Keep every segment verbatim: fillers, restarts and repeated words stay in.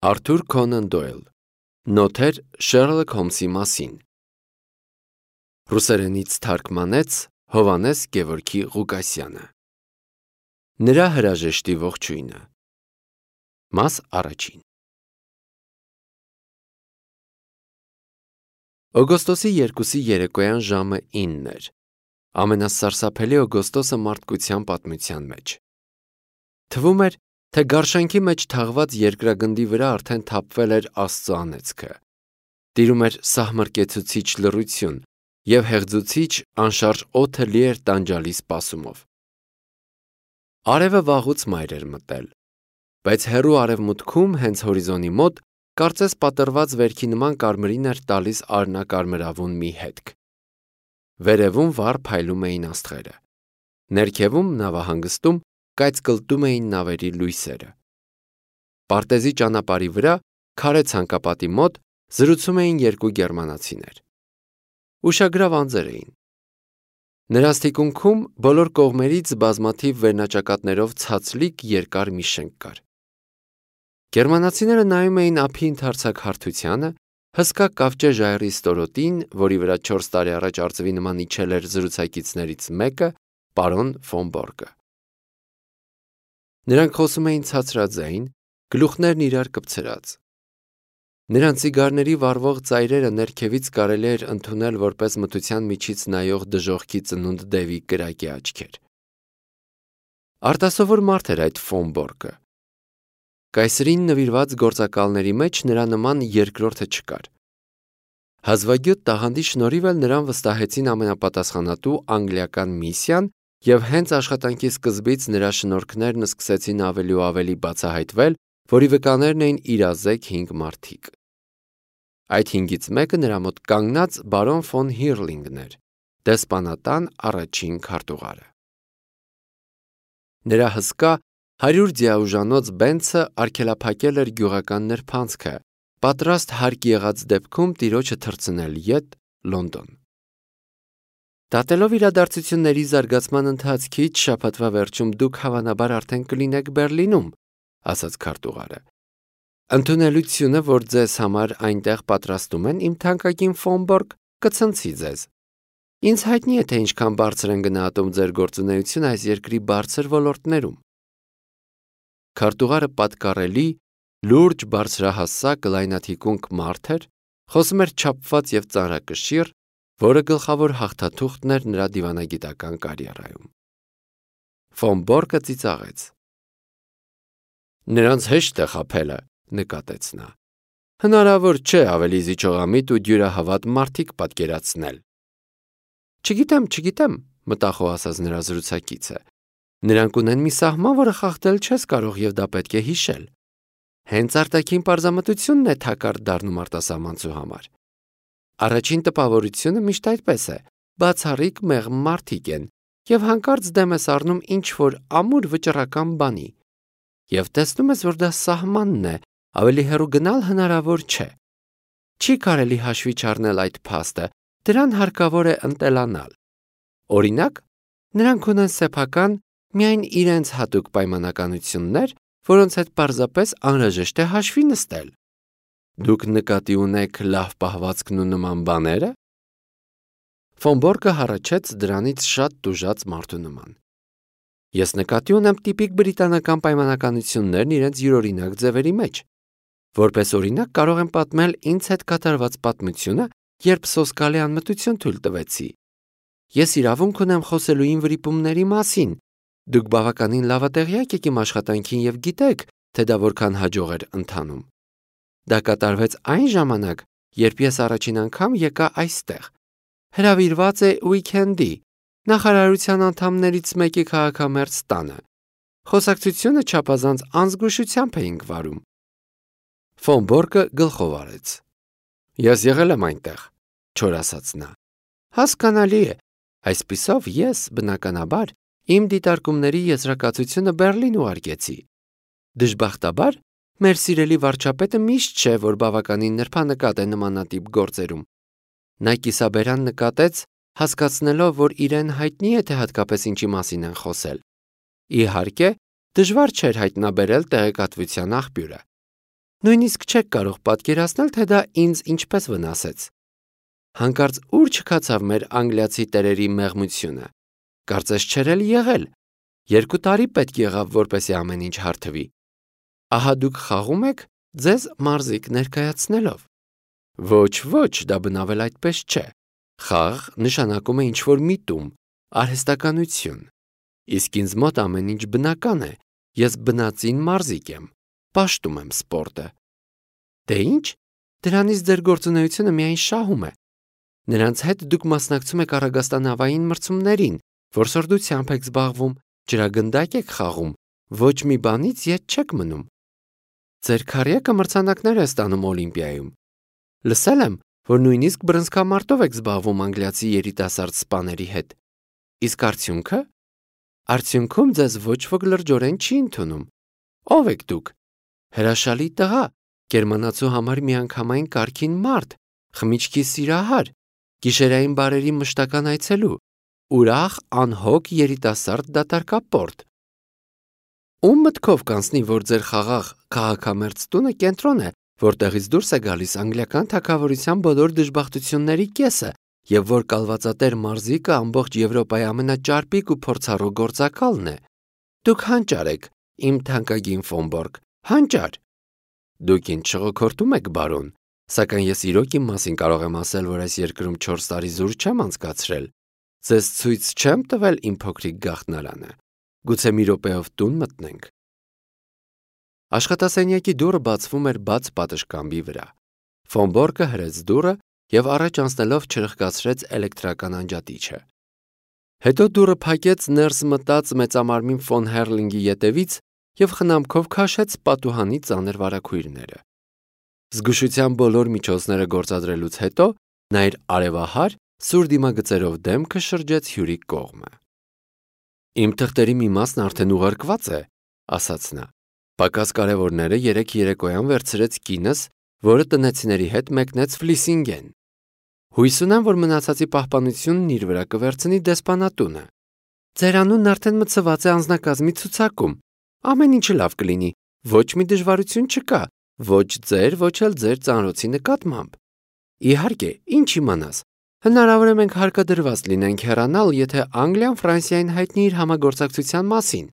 Արթուր Քոնան Դոյլ Նոթեր Շերլոք Հոլմսի մասին Ռուսերենից թարգմանեց Հովհաննես Գևորգի Ղուկասյանը Նրա հրաժեշտի ողջույնը Մաս առաջին Օգոստոսի երկուսի երեկոյան ժամը ինն էր ամենասարսափելի օգոստոսը մարդկության պատմության մեջ Թվում էր, թե գարշանքի մեջ թաղված երկրագնդի վրա արդեն թափվել էր Աստծո անեծքը Տիրում էր սահմռկեցուցիչ լռություն և հեղձուցիչ անշարժ օդը լի էր տանջալի սպասումով Արևը վաղուց մայր էր մտել Բայց հեռու արևմուտքում հենց հորիզոնի մոտ կարծես պատռված վերքի նման կարմիրին էր տալիս արյնակարմրավուն մի հետք Վերևում վառ փայլում էին աստղերը Ներքևում նավահանգստում կայծկլտում էին նավերի լույսերը Պարտեզի ճանապարհի վրա քարե ցանկապատի մոտ զրուցում էին երկու գերմանացիներ Ուշագրավ անձեր էին Նրանց թիկունքում բոլոր կողմերից բազմաթիվ վերնաճակատներով ցածլիկ երկար մի շենք կար Գերմանացիները նայում էին ափի ընդարձակ հարթությանը հսկա կավճե ժայռի ստորոտին, որի վրա չորս տարի առաջ արծվի նման իջել էր զրուցակիցներից մեկը, պարոն ֆոն Բորգը Նրանք խոսում էին ցածրաձայն, գլուխներն իրար կպցրած Նրանց ծիգարների վառվող ծայրերը ներքևից կարելի էր ընդունել որպես մթության միջից նայող դժոխքի ծնունդ դևի կրակի աչքեր Արտասովոր մարդ էր այդ ֆոն Բորգը Կայսրին նվիրված գործակալների մեջ նրա նման երկրորդը չկար Հազվագյուտ տաղանդի շնորհիվ էլ նրան վստահեցին ամենապատասխանատու անգլիական միսիան և հենց աշխատանքի սկզբից նրա շնորհքներն սկսեցին ավելի ու ավելի բացահայտվել, որի վկաներն էին իրազեկ հինգ մարդիկ Այդ հինգից մեկը նրա մոտ կանգնած բարոն ֆոն Հիրլինգն էր, դեսպանատան առաջին քարտուղարը Նրա հսկա հարյուր ձիաուժանոց բենցը արգելափակել էր գյուղական նրբանցքը, պատրաստ հարկ եղած դեպքում տիրոջը թռցնել ետ Լոնդոն Դատելով իրադարձությունների զարգացման ընթացքից շաբաթվա վերջում դուք հավանաբար արդեն կլինեք Բերլինում, ասաց քարտուղարը Ընդունելությունը, որ ձեզ համար այնտեղ պատրաստում են, իմ թանկագին ֆոն Բորգ, կցնցի ձեզ Ինձ հայտնի է, թե ինչքան բարձր են գնահատում ձեր գործունեությունը այս երկրի բարձր ոլորտներում Քարտուղարը պատկառելի, լուրջ բարձրահասակ լայնաթիկունք մարդ էր, խոսում էր չափված և ծանրակշիռ, որը գլխավոր հաղթաթուղթն էր նրա դիվանագիտական կարիերայում Ֆոն Բորգը ծիծաղեց Նրանց հեշտ է խաբելը, նկատեց նա Հնարավոր չէ ավելի զիջողամիտ ու դյուրահավատ մարդիկ պատկերացնել Չգիտեմ, չգիտեմ, մտախոհ ասաց նրա զրուցակիցը Նրանք ունեն մի սահման, որը խախտել չես կարող և դա պետք է հիշել Հենց արտաքին պարզամտությունն է թակարդ դառնում արտասահմանցու համար Առաջին տպավորությունը միշտ այդպես է, բացառիկ մեղմ մարդիկ են և հանկարծ դեմ ես առնում ինչ-որ ամուր վճռական բանի և տեսնում ես, որ դա սահմանն է, ավելի հեռու գնալ հնարավոր չէ Չի կարելի հաշվի չառնել այդ փաստը, դրան հարկավոր է ընտելանալ Օրինակ, նրանք ունեն սեփական, միայն իրենց հատուկ պայմանականություններ, որոնց հետ պարզապես անհրաժեշտ է հաշվի նստել Դուք նկատի ունեք լավ պահվածքն ու նման բաները Ֆոն Բորգը հառաչեց դրանից շատ տուժած մարդու նման Ես նկատի ունեմ տիպիկ բրիտանական պայմանականություններն իրենց յուրօրինակ ձևերի մեջ Որպես օրինակ կարող եմ պատմել ինձ հետ կատարված պատմությունը, երբ սոսկալի անմտություն թույլ տվեցի Ես իրավունք ունեմ խոսելու իմ վրիպումների մասին Դուք բավականին լավատեղյակ եք իմ աշխատանքին և գիտեք, թե դա որքան հաջող էր ընթանում Դա կատարվեց այն ժամանակ, երբ ես առաջին անգամ եկա այստեղ Հրավիրված է ուիկենդի, նախարարության անդամներից մեկի քաղաքամերձ տանը Խոսակցությունը չափազանց անզգուշությամբ էինք վարում Ֆոն Բորգը գլխով արեց Ես եղել եմ այնտեղ, չոր ասաց նա Հասկանալի է, այսպիսով ես, բնականաբար, իմ դիտարկումների եզրակացությունը Բերլին ուղարկեցի Դժբախտաբար, մեր սիրելի վարչապետը միշտ չէ, որ բավականին նրբանկատ է նմանատիպ գործերում Նա կիսաբերան նկատեց, հասկացնելով, որ իրեն հայտնի է, թե հատկապես ինչի մասին են խոսել Իհարկե, դժվար չէր հայտնաբերել տեղեկատվության աղբյուրը Նույնիսկ չեք կարող պատկերացնել, թե դա ինձ ինչպես վնասեց։ Հանկարծ ուր չքացավ մեր անգլիացի տերերի մեղմությունը։ Կարծես չէր էլ եղել։ Երկու տարի պետք եղավ, որպեսզի ամեն ինչ հարթվի։ Ահա դուք խաղում եք ձեզ մարզիկ ներկայացնելով։ Ոչ, ոչ, դա բնավել այդպես չէ։ Խաղ նշանակում է ինչ-որ միտում, արհեստականություն։ Իսկ ինձ մոտ ամեն ինչ բնական է։ Ես բնածին մարզիկ եմ, պաշտում եմ սպորտը։ Դե ինչ, դրանից ձեր գործունեությունը միայն շահում է։ Նրանց հետ դուք մասնակցում եք առագաստանավային մրցումներին, որսորդությամբ եք զբաղվում, ջրագնդակ եք խաղում, ոչ մի բանից ետ չեք մնում։ Ձեր քառյակը մրցանակներ է ստանում Օլիմպիայում։ Լսել եմ, որ նույնիսկ բռնցքամարտով եք զբաղվում անգլիացի երիտասարդ սպաների հետ։ Իսկ արդյունքը։ Արդյունքում ձեզ ոչ ոք լրջորեն չի ընդունում։ Ո՞վ եք դուք։ Հրաշալի տղա, գերմանացու համար միանգամայն կարգին մարդ, խմիչքի սիրահար, գիշերային բարերի մշտական այցելու, ուրախ, անհոգ երիտասարդ դատարկապորտ։ Ում մտքով կանցնի, որ ձեր խաղաղ քաղաքամերձ տունը կենտրոն է, որտեղից դուրս է գալիս անգլիական թագավորության բոլոր դժբախտությունների կեսը, եւ որ կալվածատեր մարզիկը ամբողջ Եվրոպայի ամենաճարպիկ ու փորձառու գործակալն է։ Դուք հանճար եք, իմ թանկագին Ֆոնբորգ, հանճար։ Դուք ինձ շղոքորթում եք, բարոն, սակայն ես իրոք իմ մասին կարող եմ ասել, որ այս երկրում չորս տարի զուր չեմ անցկացրել։ Ձեզ ցույց չեմ տվել իմ փոքրիկ գաղտնարանը։ Գուցե մի րոպեով տուն մտնենք։ Աշխատասենյակի դուռը բացվում էր բաց պատշգամբի վրա։ Ֆոնբորգը հրեց դուռը եւ առաջ անցնելով չրխկացրեց էլեկտրական անջատիչը։ Հետո դուռը փակեց, ներս մտած մեծամարմին ֆոն Հերլինգի ետևից եւ խնամքով քաշեց պատուհանի ծանր վարագույրները։ Զգուշության բոլոր միջոցները գործադրելուց հետո նա իր արևահար սուր դիմագծերով դեմքը շրջեց հյուրի կողմը։ Իմ թղթերի մի մասն արդեն ուղարկված է, ասաց նա։ Պակաս կարևորները երեք երեկոյան վերցրեց կինս, որը տնեցիների հետ մեկնեց Ֆլիսինգեն։ Հույս ունեմ, որ մնացածի պահպանությունն իր վրա կվերցնի դեսպանատունը։ Ձեր անունն արդեն մցված է անձնակազմի ցուցակում։ Ամեն ինչը լավ կլինի, ոչ մի դժվարություն չկա, ոչ ձեր, ոչ էլ ձեր ծանրոցի նկատմամբ։ Իհարկե, ինչ իմանաս։ Հնարավոր է մենք հարկադրված լինենք հեռանալ, եթե Անգլիան Ֆրանսիային հայտնի իր համագործակցության մասին։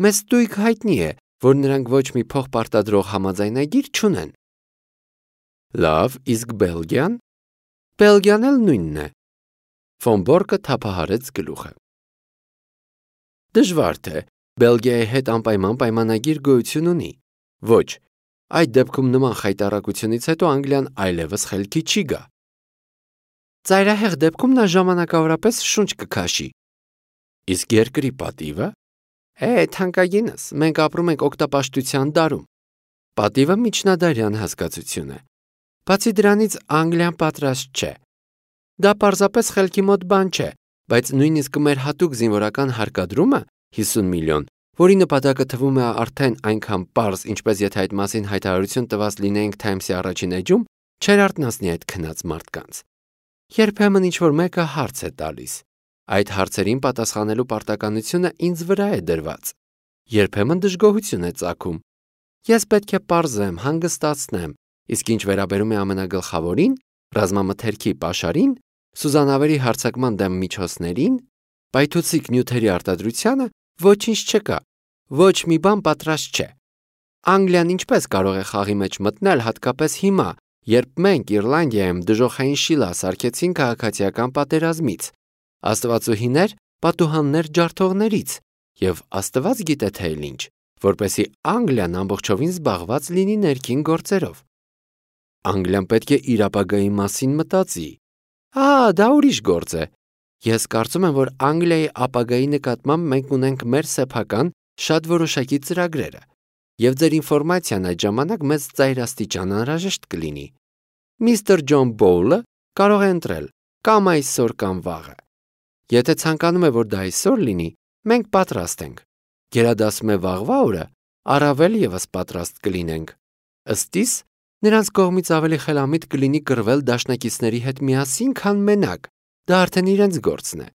Մեզ ստույգ հայտնի է, որ նրանք ոչ մի փոխպարտադրող համաձայնագիր չունեն։ Լավ, իսկ Բելգիան։ Բելգիան էլ նույնն է։ Ֆոնբորգը թափահարեց գլուխը։ Դժվար թե Բելգիայի հետ անպայման պայմանագիր գոյություն ունի։ Ոչ, այդ դեպքում նման խայտառակությունից հետո Անգլիան այլևս խելքի չի գա։ Ծայրահեղ դեպքում նա ժամանակավորապես շունչ կքաշի։ Իսկ երկրի պատիվը։ Է, թանկագինս, մենք ապրում ենք օգտապաշտության դարում։ Պատիվը միջնադարյան հասկացություն է։ Բացի դրանից Անգլիան պատրաստ չէ։ Դա պարզապես խելքի մոտ բան չէ, բայց նույնիսկ մեր հատուկ զինվորական հարկադրումը հիսուն միլիոն, որի նպատակը թվում է արդեն այնքան պարզ, ինչպես եթե այդ մասին հայտարարություն տված լինեինք Times-ի առաջին էջում, չէր արթնացնի այդ քնած մարդկանց։ Երբեմն ինչ-որ մեկը հարց է տալիս։ Այդ հարցերին պատասխանելու պարտականությունը ինձ վրա է դրված։ Երբեմն դժգոհություն է ծագում։ Ես պետք է պարզեմ, հանգստացնեմ, իսկ ինչ վերաբերում է ամենագլխավորին, ռազմամթերքի պաշարին, սուզանավերի հարձակման դեմ միջոցներին, պայթուցիկ նյութերի արտադրությանը, ոչինչ չկա, ոչ մի բան պատրաստ չէ։ Անգլիան ինչպես կարող է խաղի մեջ մտնել հատկապես հիմա, երբ մենք Իռլանդիայում դժոխային շիլա սարքեցին քաղաքացիական պատերազմից, աստվածուհիներ պատուհաններ ջարդողներից, եւ Աստված գիտե թե ինչ, որպեսի Անգլիան ամբողջովին զբաղված լինի ներքին գործերով։ Անգլիան պետք է իր ապագայի մասին մտածի։ Ա, դա ուրիշ գործ է։ Ես կարծում եմ, որ Անգլիայի ապագայի նկատմամբ մենք ունենք մեր սեփական շատ որոշակի ծրագրերը, եւ ձեր ինֆորմացիան այդ ժամանակ մեծ ծայրաստիճան անհրաժեշտ կլինի։ Միստր Ջոն Բոուլը կարող է ընտրել կամ այսօր կամ վաղը։ Եթե ցանկանում է, որ դա այսօր լինի, մենք պատրաստ ենք։ Գերադասում է վաղվա օրը, առավել եւս պատրաստ կլինենք։ Ըստ իս, նրանց կողմից ավելի խելամիտ կլինի կռվել դաշնակիցների հետ միասին, քան մենակ։ Դա արդեն իրենց գործն է։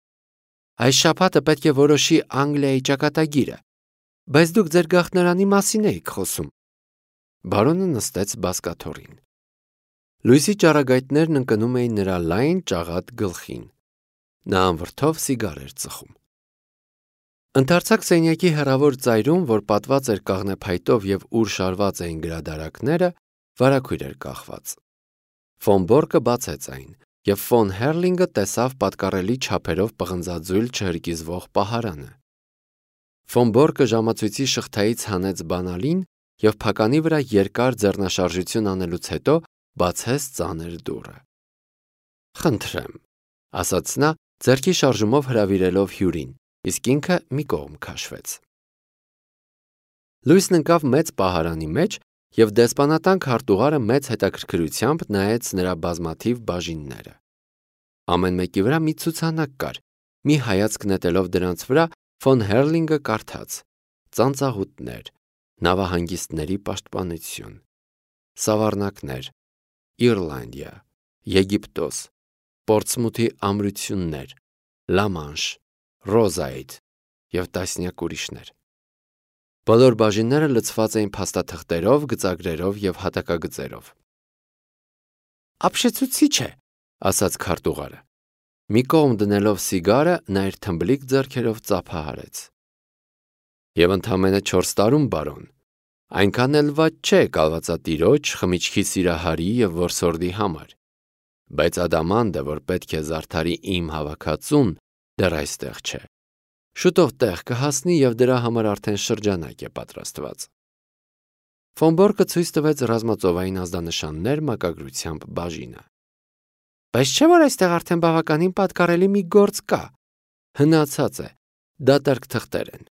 Այս շաբաթը պետք է որոշի Անգլիայի ճակատագիրը, բայց դուք ձեր գաղտնարանի մասին եք խոսում։ Բարոնը նստեց բազկաթոռին։ Լույսի ճառագայթներն ընկնում էին նրա լայն ճաղատ գլխին։ Նա անվրդով սիգար էր ծխում։ Ընդարձակ սենյակի հեռավոր ծայրում, որ պատված էր կաղնեփայտով և ուր շարված էին գրադարանները, վարագույր էր կախված։ Ֆոն Բորկը բացեց այն, և ֆոն Հերլինգը տեսավ պատկառելի չափերով պղնձաձույլ չհրկիզվող պահարանը։ Ֆոն Բորկը ժամացույցի շղթայից հանեց բանալին և փականի վրա երկար ձեռնաշարժություն անելուց հետո բացեց ծանր դուռը։ «Խնդրեմ», ասաց նա, ձեռքի շարժումով հրավիրելով հյուրին, իսկ ինքը մի կողմ քաշվեց։ Լույսն ընկավ մեծ պահարանի մեջ, և դեսպանատան քարտուղարը մեծ հետաքրքրությամբ նայեց նրա բազմաթիվ բաժինները։ Ամեն մեկի վրա մի ցուցանակ կար։ Մի հայացք նետելով դրանց վրա, ֆոն Հերլինգը կարդաց. ծանծաղուտներ, նավահանգիստների պաշտպանություն, սավառնակներ, Իռլանդիա, Եգիպտոս, Պորտսմութի ամրություններ, Լամանշ, Ռոզայդ և տասնյակ ուրիշներ։ Բոլոր բաժինները լցված էին փաստաթղթերով, գծագրերով և հատակագծերով։ «Ապշեցուցիչ է», ասաց քարտուղարը։ Մի կողմ դնելով սիգարը, նա իր թմբլիկ ձեռքերով ծափահարեց։ «Եվ ընդամենը չորս տարում, բարոն, այնքան էլ վատ չէ կալվածատիրոջ, խմիչքի սիրահարի և որսորդի համար, բայց ադամանդը, որ պետք է զարդարի իմ հավաքածուն, դեռ այստեղ չէ։ Շուտով տեղ կհասնի և դրա համար արդեն շրջանակ է պատրաստված»։ Ֆոն Բորկը ցույց տվեց ռազմածովային ազդանշաններ մակագրությամբ բաժինը։ «Բայց չէ՞ որ այստեղ արդեն բավականին պատկառելի մի գործ կա։ Հնացած է, դատարկ թղթեր են։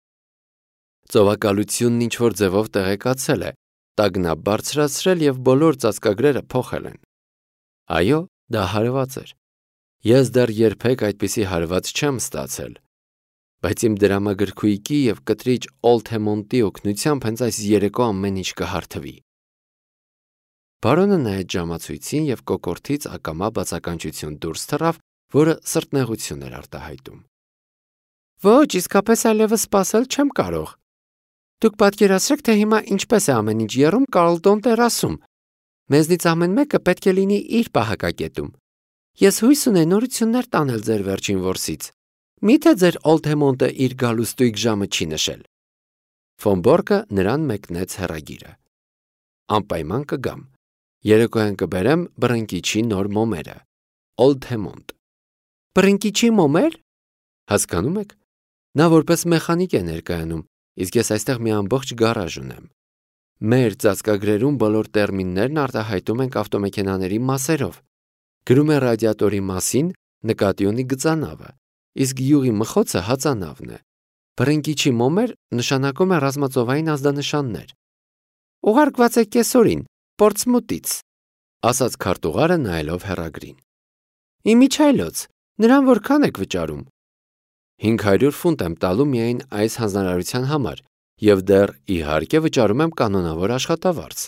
Ծովակալությունն ինչ-որ ձևով տեղեկացել է, տագնապ բարձրացրել և բոլոր ծածկագրերը փոխել են։ Այո, դա հարված էր։ Ես դեռ երբեք այդպիսի հարված չեմ ստացել, բայց իմ դրամագրքույկի և կտրիչ Օլդհեմոնտի օգնությամբ հենց այս երեկո ամեն ինչ կհարթվի»։ Բարոնը նայեց ժամացույցին և կոկորդից ակամա բացականչություն դուրս թռավ, որը սրտնեղություն էր արտահայտում։ «Ոչ, իսկապես այլևս սպասել չեմ կարող։ Դուք պատկերացրեք, թե հիմա ինչպես է ամեն ինչ եռում Կարլտոն տերասում։ Մեզնից ամեն մեկը պետք է լինի իր պահակակետում։ Ես հույս ունեի նորություններ տանել ձեր վերջին որսից։ Մի՞թե ձեր Օլդհեմոնտը իր գալուստույկ ժամը չի նշել»։ Ֆոն Բորկը նրան մեկնեց հեռագիրը։ «Անպայման կգամ։ Երեկոյան կբերեմ բռնկիչի նոր մոմերը։ Օլդհեմոնտ»։ «Բռնկիչի մոմեր»։ Հասկանում եք։ Նա որպես մեխանիկ է ներկայանում, իսկ ես այստեղ մի ամբողջ գարաժ ունեմ։ Մեր ծածկագրերում բոլոր տերմիններն արտահայտում ենք ավտոմեքենաների մասերով։ Գրում է ռադիատորի մասին, նկատի ունի գծանավը, իսկ յուղի մխոցը հածանավն է։ Բռնկիչի մոմեր նշանակում է ռազմածովային ազդանշաններ։ «Ուղարկված է կեսօրին, Պորտսմութից», ասաց քարտուղարը նայելով հեռագրին։ «Իմիջիայլոց, նրան որքան եք վճարում»։ հինգ հարյուր ֆունտ եմ տալու միայն այս հանձնարարության համար և դեռ, իհարկե, վճարում եմ կանոնավոր աշխատավարձ։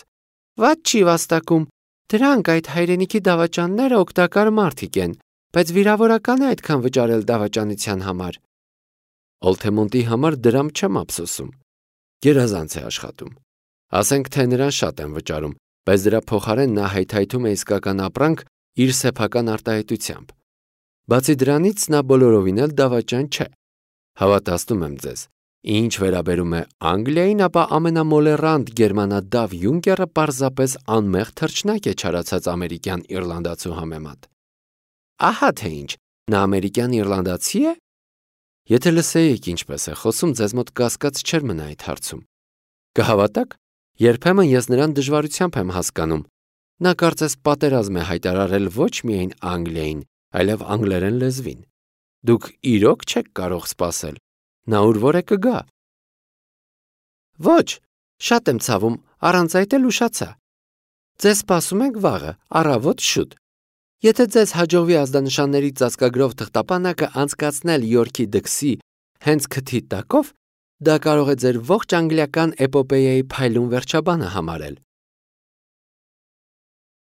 «Վատ չի վաստակում։ Դրանք, այդ հայրենիքի դավաճանները օգտակար մարդիկ են, բայց վիրավորական է այդքան վճարել դավաճանության համար»։ Օլդհեմոնտի համար դրամ չեմ ափսոսում։ Գերազանց է աշխատում։ Ասենք թե նրան շատ եմ վճարում, բայց դրա փոխարեն նա հայթայթում է իսկական ապրանք իր սեփական արտահայտությամբ։ Բացի դրանից, նա բոլորովին էլ դավաճան չէ։ Հավատացնում եմ ձեզ, ինչ վերաբերում է Անգլիային, ապա ամենամոլեռանդ գերմանադավ յունկերը պարզապես անմեղ թռչնակ է չարացած ամերիկյան իռլանդացու համեմատ։ Ահա թե ինչ, նա ամերիկյան իռլանդացի է։ Եթե լսեիք ինչպես է խոսում, ձեզ մոտ կասկած չէր մնա այդ հարցում։ Կհավատաք, երբեմն ես նրան դժվարությամբ եմ հասկանում։ Նա կարծես պատերազմ է հայտարարել ոչ միայն Անգլիային, այլև անգլերեն լեզվին։ Դուք իրոք չեք կարող սպասել։ Նա ուր որ է կգա։ Ոչ, շատ եմ ցավում, առանց այդ էլ ուշացա։ Ձեզ սպասում ենք վաղը, առավոտ շուտ։ Եթե ձեզ հաջողվի ազդանշանների ծածկագրով թղթապանակը անցկացնել Յորքի դքսի հենց քթի տակով, դա կարող է ձեր ողջ անգլիական էպոպեյայի փայլուն վերջաբանը համարել։